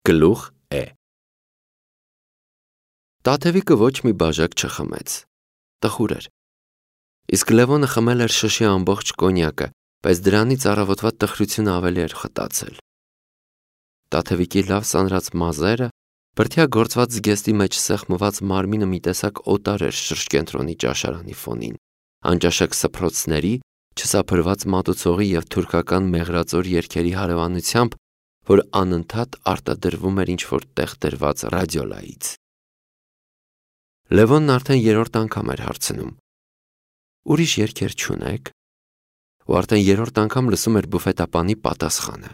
Գլուխ է։ Տաթևիկը ոչ մի բաժակ չխմեց, տխուր էր, իսկ Լևոնը խմել էր շշի ամբողջ կոնյակը, բայց դրանից առավոտվա տխրությունը ավելի էր խտացել։ Տաթևիկի լավ սանրած մազերը, բրդյա գործված զգեստի մեջ սեղմված մարմինը մի տեսակ օտար էր շրջկենտրոնի ճաշարանի ֆոնին, անճաշակ սփռոցների, չսափրված մատուցողի և թուրքական մեղրածոր երգերի հարևանությամբ, որ անընդհատ արտադրվում էր ինչ-որ տեղ դրված ռադիոլայից։ Լևոնն արդեն երրորդ անգամ էր հարցնում. «Ուրիշ երգեր չունեք»։ Ու արդեն երրորդ անգամ լսում էր բուֆետապանի պատասխանը.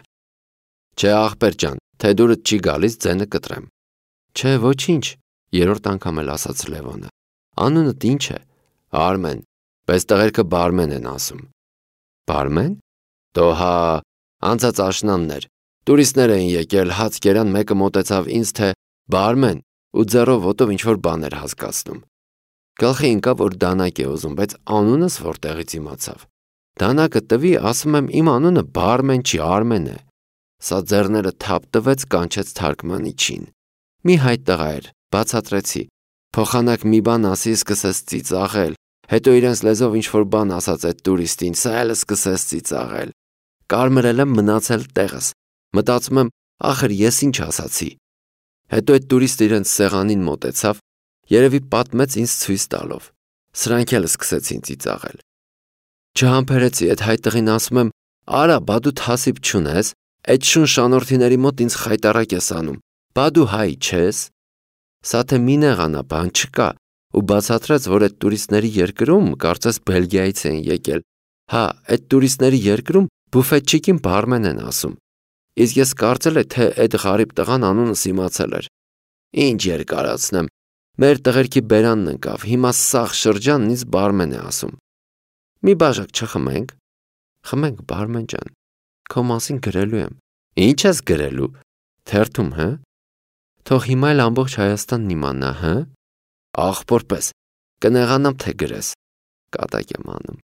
«Չէ, ախպեր ջան, թե դուրդ չի գալիս, ձենը կտրեմ»։ «Չէ, ոչինչ», երրորդ անգամ էլ ասաց Լևոնը։ «Անունդ ինչ է»։ «Արմեն, բայց տղերքը բարմեն են ասում»։ «Բարմեն»։ «Դո հա, անցած աշնանն էր, տուրիստներ էին եկել, հաց կերան, մեկը մոտեցավ ինձ, թե բարմեն, ու ձեռով ոտով ինչ-որ բան էր հասկացնում։ Գլխի ընկավ, որ դանակ է ուզում, բայց անունս որտեղից իմացավ։ Դանակը տվի, ասում եմ, իմ անունը բարմեն չի, Արմեն է։ Սա ձեռները թափ տվեց, կանչեց թարգմանիչին։ Մի հայ տղա էր, բացատրեցի։ Փոխանակ մի բան ասի, սկսեց ծիծաղել, հետո իրենց լեզվով ինչ-որ բան ասաց այդ տուրիստին, սա էլ սկսեց ծիծաղել։ Կարմրել եմ, մնացել տեղս։ Մտածում եմ, ախր ես ինչ ասացի։ Հետո այդ տուրիստը իրենց սեղանին մոտեցավ, երևի պատմեց ինձ ցույց տալով։ Սրանք էլ սկսեցին ծիծաղել։ Չհամբերեցի, այդ հայ տղին ասում եմ, արա, բա դու թասիբ չունես, այդ շուն շանորդիների մոտ ինձ խայտարակ ես անում, բա դու հայ չես։ Սա թե մի նեղանա, բան չկա, ու բացատրեց, որ այդ տուրիստների երկրում, կարծես Բելգիայից էին եկել, հա, այդ տուրիստների երկրում բուֆետչիկին բարմեն են ասում։ Իսկ ես կարծել եմ, թե այդ ғարիբ տղան անունս իմացել էր։ Ինչ երկարացնեմ, մեր տղերքի բերանն ընկավ, հիմա սաղ շրջանն ինձ բարմեն է ասում։ Մի բաժակ չխմենք։ Խմենք, բարմեն ջան, քո մասին գրելու եմ։ Ինչ ես գրելու։ Թերթում, հը։ Թող հիմա էլ ամբողջ Հայաստանն իմանա, հը։ Աղբորպես, կնեղանամ, թե գրես։ Կատակ եմ անում,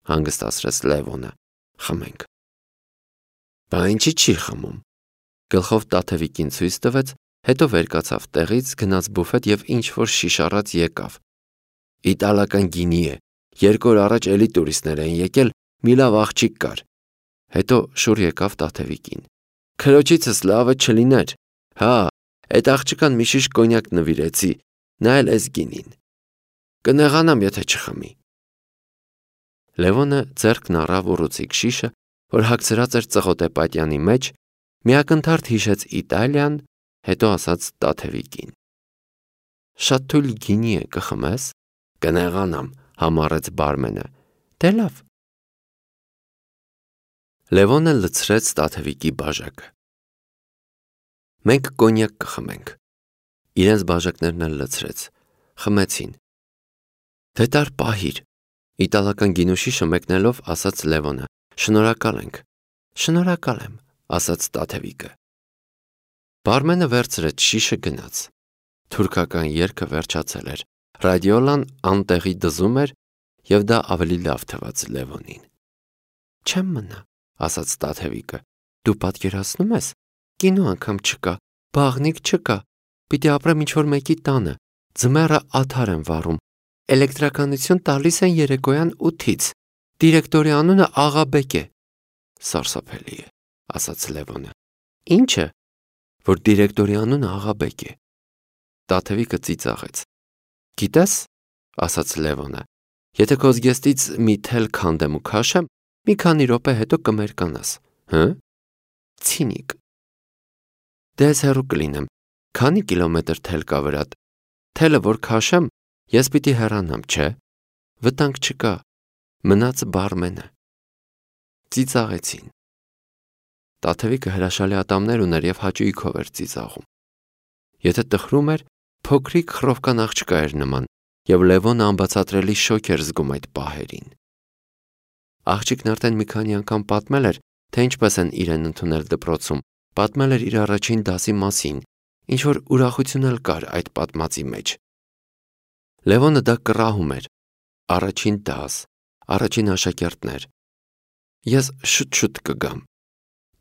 հանգստացրեց Լևոնը։ Խմենք։ Բա ինչի չի խմում։ Գլխով Տաթևիկին ցույց տվեց, հետո վեր կացավ տեղից, գնաց բուֆետ և ինչ-որ շիշ առած եկավ։ Իտալական գինի է, 2 օր առաջ էլի տուրիստներ էին եկել, մի լավ աղջիկ կար։ Հետո շուռ եկավ Տաթևիկին։ Քրոջիցս լավը չլիներ։ Հա, այդ աղջկան մի շիշ կոնյակ նվիրեցի, նա էլ էս գինին։ Կնեղանամ, եթե չխմի։ Լևոնը ձեռքն առավ ուռուցիկ շիշը, որ հագցրած էր ծղոտե պատյանի մեջ, միակնթարթ հիշեց Իտալիան, հետո ասաց Տաթևիկին. Շատ թույլ գինի է, կխմես։ Կնեղանամ, համառեց բարմենը։ Դե լավ։ Լևոնը լցրեց Տաթևիկի բաժակը։ Մենք կոնյակ կխմենք։ Իրենց բաժակներն էլ լցրեց։ Խմեցին։ Դե տար պահիր։ Իտալական գինու շիշը մեկնելով ասաց Լևոնը. Շնորհակալ ենք։ Շնորհակալ եմ, ասաց Տաթևիկը։ Բարմենը վերցրեց շիշը, գնաց։ Թուրքական երգը վերջացել էր։ Ռադիոլան անտեղի դզում էր, և դա ավելի լավ թվաց Լևոնին։ Չեմ մնա, ասաց Տաթևիկը։ Դու պատկերացնում ես, կինո անգամ չկա, բաղնիք չկա, պիտի ապրեմ ինչ-որ մեկի տանը, ձմեռը աթար եմ վառում, էլեկտրականություն տալիս են երեկոյան 8-ից, դիրեկտորի անունը Աղաբեկ է։ Սարսափելի է, ասաց Լևոնը։ Ինչը, որ դիրեկտորի անունը Աղաբեկ է։ Տաթևիկը ծիծաղեց։ Գիտես, ասաց Լևոնը, եթե քո զգեստից մի թել քանդեմ ու քաշեմ, մի քանի րոպե հետո կմերկանաս, հը։ Ցինիկ։ Դե ես հեռու կլինեմ, քանի կիլոմետր թել կա վրատ, թելը որ քաշեմ, ես պիտի հեռանամ, չէ։ Վտանգ չկա, մնաց բարմենը։ Ծիծաղեցին։ Տաթևիկը հրաշալի ատամներ ուներ և հաճույքով էր ծիծաղում։ Եթե տխրում էր, փոքրիկ խռովկան աղջկա էր նման, և Լևոնը անբացատրելի շոկ էր զգում այդ պահերին։ Աղջիկն արդեն մի քանի անգամ պատմել էր, թե ինչպես են իրեն ընդունել դպրոցում, պատմել էր իր առաջին դասի մասին, ինչ-որ ուրախություն էլ կար այդ պատմածի մեջ։ Լևոնը դա կռահում էր։ Առաջին դաս, առաջին աշակերտներ։ Ես շուտ-շուտ կգամ։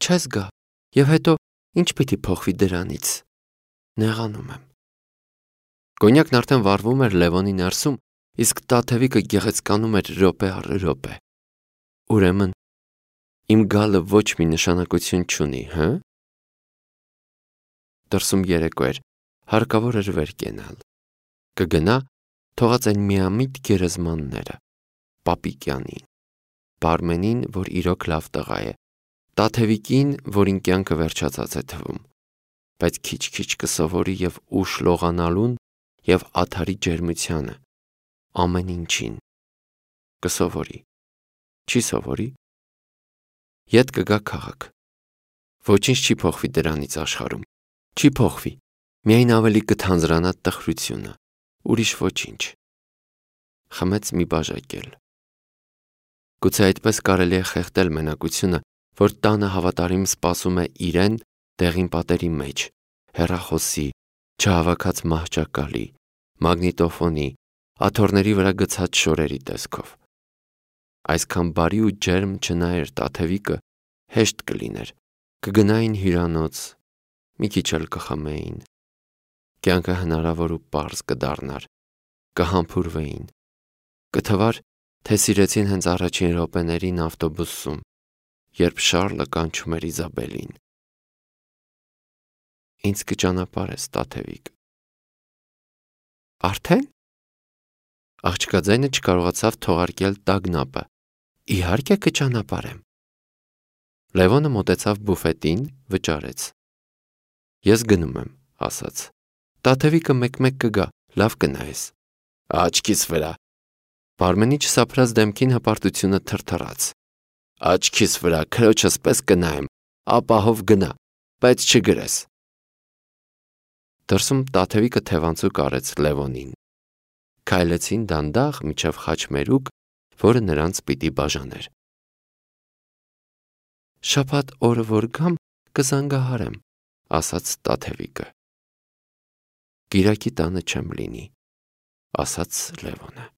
Չես գա, և հետո Ինչ պիտի փոխվի դրանից։ Նեղանում եմ։ Կոնյակն արդեն վառվում էր Լևոնի ներսում, իսկ Տաթևիկը գեղեցկանում էր րոպե առ րոպե։ Ուրեմն իմ գալը ոչ մի նշանակություն չունի, հը՞։ Դրսում երեկո էր, հարկավոր էր վեր կենալ։ Կգնա, թողած այն միամիտ գերեզմանները, Պապիկյանին, Բարմենին, որ իրոք լավ տղա է, Տաթևիկին, որին կյանքը վերջացած է թվում, բայց քիչ-քիչ կսովորի և ուշ լողանալուն և ադարի ջերմությանը, ամեն ինչին, կսովորի, չի սովորի, ետ կգա քաղաք, ոչինչ չի փոխվի դրանից աշխարհում, չի փոխվի, միայն ավելի կթանձրանա տխրությունը, ուրիշ ոչինչ, խմեց մի բաժակել։ Գուցե այդպես կարելի է խեղդել մենակությունը, որ տանը հավատարիմ սպասում է իրեն դեղին պատերի մեջ, հեռախոսի, չհավաքած մահճակալի, մագնիտոֆոնի, աթոռների վրա գցած շորերի տեսքով։ Այսքան բարի ու ջերմ չնայեր Տաթևիկը, հեշտ կլիներ, կգնային հյուրանոց, մի քիչ էլ կխմեին, կյանքը հնարավոր ու պարզ կդառնար, կհամբուրվեին, կթվար, թե սիրեցին հենց առաջին րոպեներին ավտոբուսում, երբ Շառլը կանչում էր Իզաբելին։ Ինձ կճանապարհես, Տաթևիկ։ Արդեն։ Աղջկա ձայնը չկարողացավ թողարկել տագնապը։ Իհարկե կճանապարհեմ։ Լևոնը մոտեցավ բուֆետին, վճարեց։ Ես գնում եմ, ասաց։ Տաթևիկը մեկ-մեկ կգա, լավ կնայես։ Աչքիս վրա։ Բարմենի չսափրած դեմքին հպարտությունը թրթռաց։ Աչքիս վրա քրոջս պես կնայեմ, ապահով գնա, բայց չգրես։ Դրսում Տաթևիկը թևանցուկ արեց Լևոնին։ Քայլեցին դանդաղ մինչև խաչմերուկ, որը նրանց պիտի բաժաներ։ Շաբաթ օրը որ գամ, կզանգահարեմ, ասաց Տաթևիկը։ Կիրակի տանը չեմ լինի, ասաց Լևոնը։